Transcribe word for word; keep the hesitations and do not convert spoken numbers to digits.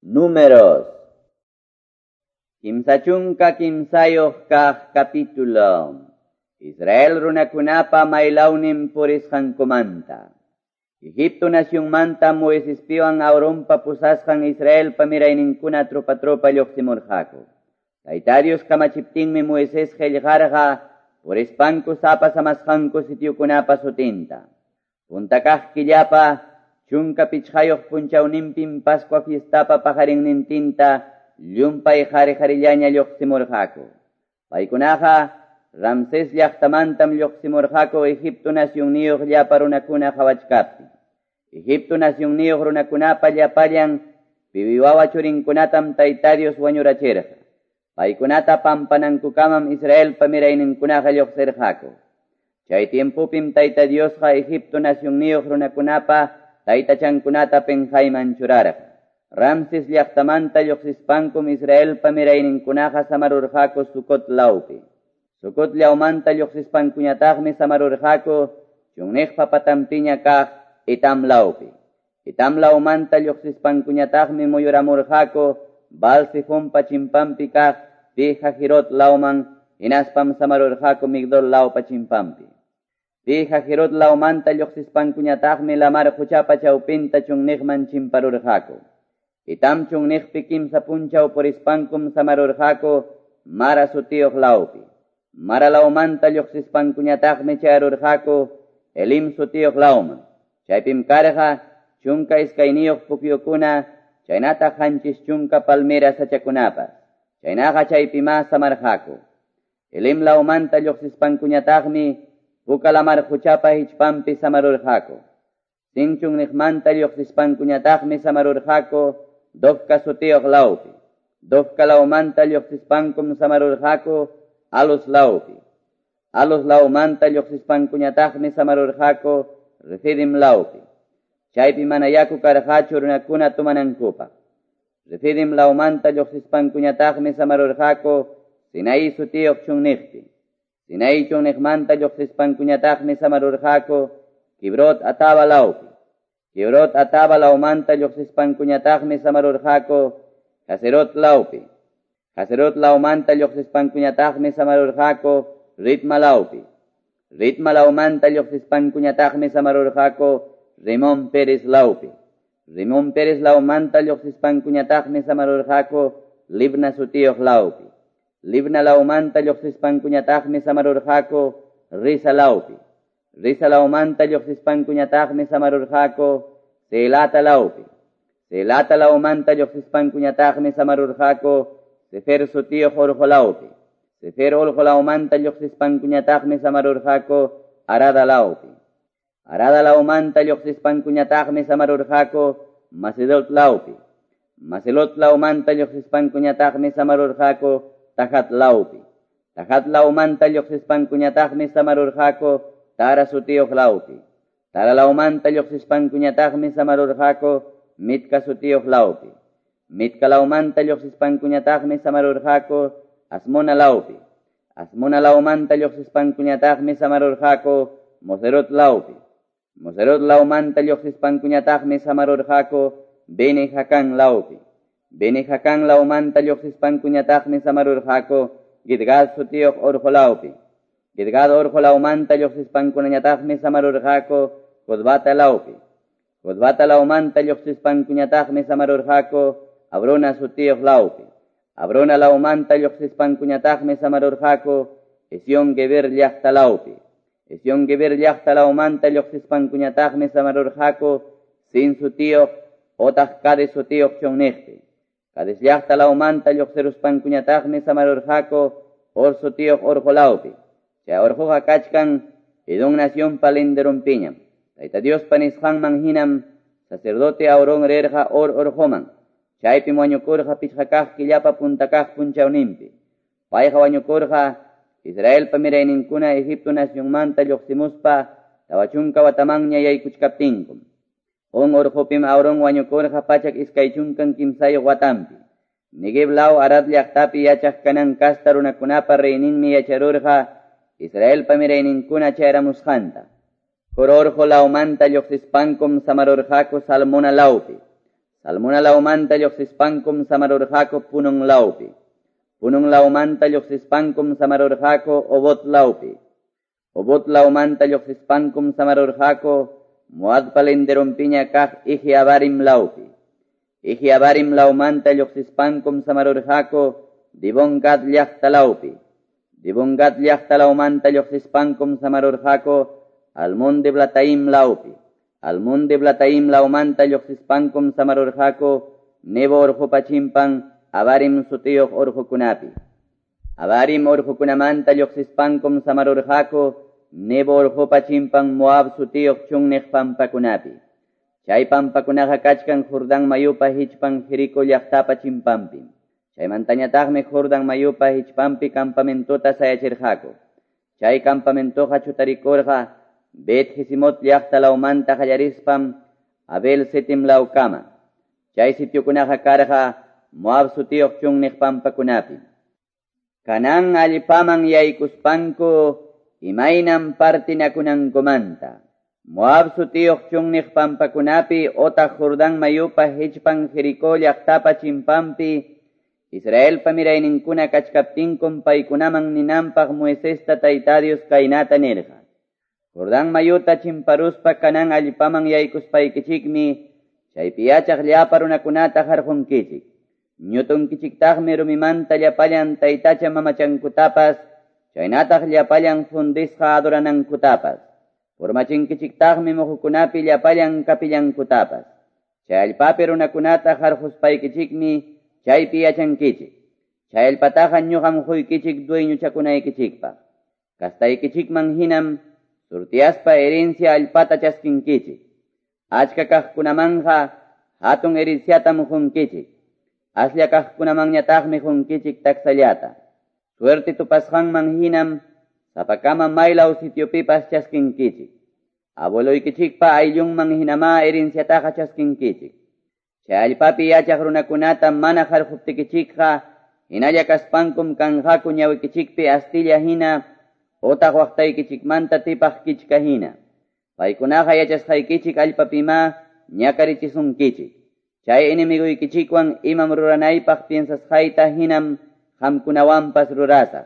Números. Kimsa chunka kimsayuq kaq capítulo. Israel runakunapa maylawnin purisqankumanta. Egipto nacionmanta Moisespiwan Aaronpa pusasqan Israelpa mirayninkuna tropa tropa lluqsimurqaku. Tayta Dios kamachiptinmi Moisés qillqarqa purispanku sapa samasqanku sitiokunapa sutinta. Punta kaq killapa chunka pichqayuq punchawninpim Pascua fiestapa paqarinnintinta llumpay qhari-qharillaña lluqsimurqaku. Paykunaqa Ramsés llaqtamantam lluqsimurqaku Egipto nacionniyuq llapa runakuna qhawachkaptin. Egipto nacionniyuq runakunapa llapallan piwi wawa churinkunatam Tayta Dios wañurachirqa. Paykunata pampanankukamam Israelpa mirayninkunaqa lluqsirqaku. Chay tiempopim Tayta Diosqa Egipto nacionniyuq runakunapa taytachankunata penqayman churarqa. Ramses llaqtamanta lluqsispankum Israelpa mirayninkunaqa samarurqaku Sucot lawpi. Sucot lawmanta lluqsispankuñataqmi samarurqaku chunniqpa patanpiña kaq Etam lawpi. Etam lawmanta lluqsispankuñataqmi muyuramurqaku Baal-zefonpa chimpanpi kaq Pi-hahirot lawman hinaspam samarurqaku Migdol lawpa chimpanpi. Pi-hahirot lawmanta lluqsispankuñataqmi lamar quchapa chawpinta chunniqman chimparurqaku. Etam chunniqpi kimsa punchaw purispankum samarurqaku Mara sutiyuq lawpi. Mara lawmanta lluqsispankuñataqmi chayarurqaku Elim sutiyuq lawman. Chaypim karqa chunka iskayniyuq pukyukuna chaynataq qanchis chunka palmera sachakunapas. Chaynaqa chaypima samarqaku. Elim lawmanta lluqsispankuñataqmi Puka lamar quchapa hichpanpi samarurqaku. Sin chunniqmanta lluqsispankuñataqmi samarurqaku Dofka sutiyuq lawpi. Dofka lawmanta lluqsispankum samarurqaku Alus lawpi. Alus lawmanta lluqsispankuñataqmi samarurqaku Refidim lawpi. Chaypi mana yaku karqachu runakuna tumanankupaq. Refidim lawmanta lluqsispankuñataqmi samarurqaku Sinaí sutiyuq chunniqpi. Sinaí chunniqmanta lluqsispankuñataqmi samarurqaku Kibrot Ataba lawpi. Kibrot Ataba lawmanta lluqsispankuñataqmi samarurqaku Haserot lawpi. Haserot lawmanta lluqsispankuñataqmi samarurqaku Ritma lawpi. Ritma lawmanta lluqsispankuñataqmi samarurqaku Rimón Pérez lawpi. Rimón Pérez lawmanta lluqsispankuñataqmi samarurqaku Libna sutiyuq lawpi. Libna lawmanta lluqsispankuñataqmi samarurqaku Risa lawpi. Risa lawmanta lluqsispankuñataqmi samarurqaku Selata lawpi. Selata lawmanta lluqsispankuñataqmi samarurqaku Sefer sutiyuq urqu lawpi. Sefer urqu lawmanta lluqsispankuñataqmi samarurqaku Arada lawpi. Arada lawmanta lluqsispankuñataqmi samarurqaku Macelot lawpi. Macelot lawmanta lluqsispankuñataqmi samarurqaku Tahat lawpi. Tahat lawmanta lluqsispankuñataqmi samarurqaku Tara sutiyuq lawpi. Tara lawmanta lluqsispankuñataqmi samarurqaku Mitka sutiyuq lawpi. Mitka lawmanta lluqsispankuñataqmi samarurqaku Asmona lawpi. Asmona lawmanta lluqsispankuñataqmi samarurqaku Moserot lawpi. Moserot lawmanta lluqsispankuñataqmi samarurqaku Bene-Jacán lawpi. Bene-Jacán lawmanta lluqsispankuñataqmi samarurqaku Gidgad sutiyuq urqu lawpi. Gidgad urqu lawmanta lluqsispankuñataqmi samarurqaku Jotbata lawpi. Jotbata lawmanta lluqsispankuñataqmi samarurqaku Abrona sutiyuq lawpi. Abrona lawmanta lluqsispankuñataqmi samarurqaku Esión Geber llaqta lawpi. Esión Geber llaqta lawmanta lluqsispankuñataqmi samarurqaku Sin sutiyuq otaq Cades sutiyuq chunniqpi. Cades llaqta lawmanta lluqsiruspankuñataqmi samarurqaku Hor sutiyuq urqu lawpi. Chay urquqa kachkan Edom nacionpa linderunpiñam. Tayta Diospa nisqanman hinam sacerdote Aarón rirqa Hor urquman. Chaypim wañukurqa pichqa kaq killapa punta kaq punchawninpi. Payqa wañukurqa Israelpa mirayninkuna Egipto nacionmanta lluqsimuspa tawa chunka watamanña yaykuchkaptinkum. Hor urqupim Aarón wañukurqa pachak iskay chunkan kimsayuq watanpi. Neguev law Arad llaqtapi yachaq Canaán kasta runakunapa reyninmi yacharurqa Israelpa mirayninkuna chayaramusqanta. Hor urqu lawmanta lluqsispankum samarurqaku Salmona lawpi. Salmona lawmanta lluqsispankum samarurqaku Punon lawpi. Punon lawmanta lluqsispankum samarurqaku Obot lawpi. Obot lawmanta lluqsispankum samarurqaku Moabpa linderonpiña kaq Ije-abarim lawpi. Ije-abarim lawmanta lluqsispankum samarurqaku Dibon-gad llaqta lawpi. Dibon-gad llaqta lawmanta lluqsispankum samarurqaku Almon-diblataim lawpi. Almon-diblataim lawmanta lluqsispankum samarurqaku Nebo urqupa chimpan Abarim sutiyuq urqukunapi. Abarim urqukunamanta lluqsispankum samarurqaku Nebo urqupa chimpan Moab sutiyuq chunniq pampakunapi. Chay pampakunaqa kachkan Jordán mayupa hichpan Jericó llaqtapa chimpanpim. Chaymantañataqmi Jordán mayupa hichpanpi campamentota sayachirqaku. Chay campamentoqa chutarikurqa Bet Jesimot llaqta lawmanta qallarispam Abel Sitim lawkama. Chay sitiokunaqa karqa Moab sutiyuq chunniq pampakunapi. Canaán allpaman yaykuspanku imaynam partinakunankumanta. Moab sutiyuq chunniq pampakunapi otaq Jordán mayupa hichpan Jericó llaqtapa chimpanpi Israelpa mirayninkuna kachkaptinkum paykunaman ninanpaq Moisesta Tayta Dios kaynata nirqa. Jordán mayuta chimparuspa Canaán allpaman yaykuspaykichikmi chaypi yachaq llapa runakunata harqunkichik. Ñutunkichiktaqmi rumimanta llapallan taytacha mamachankutapas chaynataq llapallan fundisqa adoranankutapas. Purmachinkichiktaqmi muhukunapi llapallan kapillankutapas. Chay allpapi runakunata harquspaykichikmi chaypi yachankichik. Chay allpataqa ñuqam quykichik dueñochakunaykichikpaq. Kastaykichikman hinam surtiyaspa herencia allpata chaskinkichik. Achka kaqkunamanqa hatun herenciatam qunkichik. Aslla kaqkunamanñataqmi qunkichik taksallata. Suerte tupasqanman hinam sapakama maylaw sitiopipas chaskinkichik. Abueloykichikpa ayllunman hinamá herenciataqa chaskinkichik. Chay allpapi yachaq runakunata mana harquptikichikqa hinalla kaspankum kanqaku ñawikichikpi astilla hina otaq waqtaykichikmanta tipaq kichka hina. Paykunaqa yachasqaykichik allpapimá ñakarichisunkichik. Chay enemiguykichikwan imam ruranaypaq piensasqayta hinam qamkunawanpas rurasaq.